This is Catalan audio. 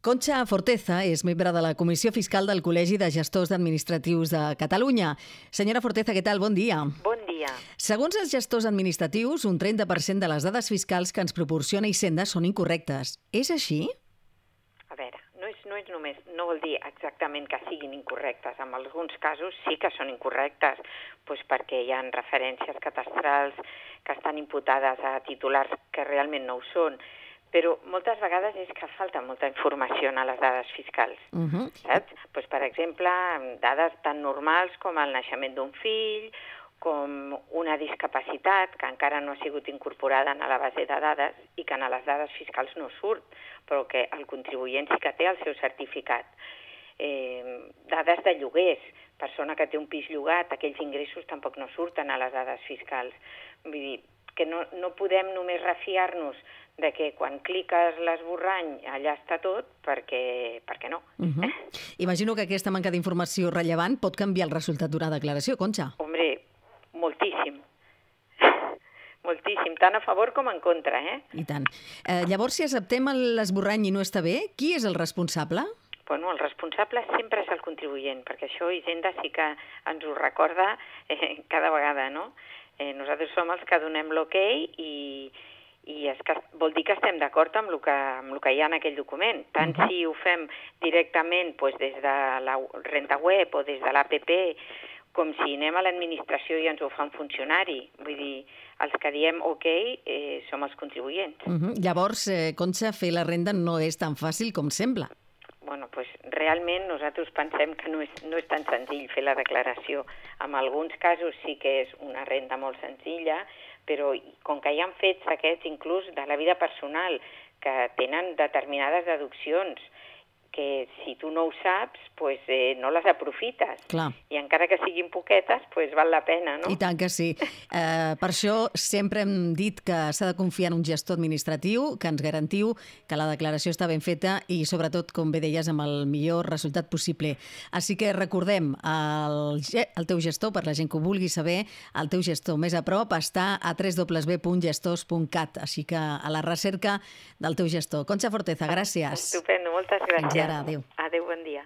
Concha Forteza és membre de la Comissió Fiscal del Col·legi de Gestors Administratius de Catalunya. Senyora Forteza, què tal? Bon dia. Bon dia. Segons els gestors administratius, un 30% de les dades fiscals que ens proporciona Hisenda són incorrectes. És així? A veure, no vol dir exactament que siguin incorrectes. En alguns casos sí que són incorrectes, doncs perquè hi ha referències catastrals que estan imputades a titulars que realment no ho són. Però moltes vegades és que falta molta informació a les dades fiscals, saps? Doncs, per exemple, dades tan normals com el naixement d'un fill, com una discapacitat que encara no ha sigut incorporada a la base de dades i que a les dades fiscals no surt, però que el contribuent sí que té el seu certificat. Dades de lloguers, persona que té un pis llogat, aquells ingressos tampoc no surten a les dades fiscals. Vull dir que no podem només refiar-nos de que quan cliques l'esborrany allà està tot, perquè no. Imagino que aquesta manca d'informació rellevant pot canviar el resultat d'una declaració, Concha. Hombre, moltíssim. Moltíssim, tant a favor com en contra, I tant. Llavors, si acceptem l'esborrany i no està bé, qui és el responsable? Bueno, el responsable sempre és el contribuent, perquè això Hisenda sí que ens ho recorda cada vegada, no? Nosaltres som els que donem l'okei i vol dir que estem d'acord amb el que hi ha en aquell document. Tant si ho fem directament des de la renta web o des de l'APP, com si anem a l'administració i ens ho fa un funcionari. Vull dir, els que diem okei som els contribuents. Llavors, Concha, fer la renda no és tan fàcil com sembla. Bueno, doncs realment nosaltres pensem que no és tan senzill fer la declaració. En alguns casos sí que és una renda molt senzilla, però com que hi ha fets aquests inclús de la vida personal que tenen determinades deduccions que si tu no ho saps, no les aprofites. Clar. I encara que siguin poquetes, val la pena, no? I tant que sí. Per això sempre hem dit que s'ha de confiar en un gestor administratiu, que ens garantiu que la declaració està ben feta i, sobretot, com bé deies, amb el millor resultat possible. Així que recordem, el teu gestor, per la gent que ho vulgui saber, el teu gestor més a prop està a www.gestors.cat, així que a la recerca del teu gestor. Concha Forteza, gràcies. Estupendo, moltes gràcies. Fins ara, adéu. Adéu, bon dia.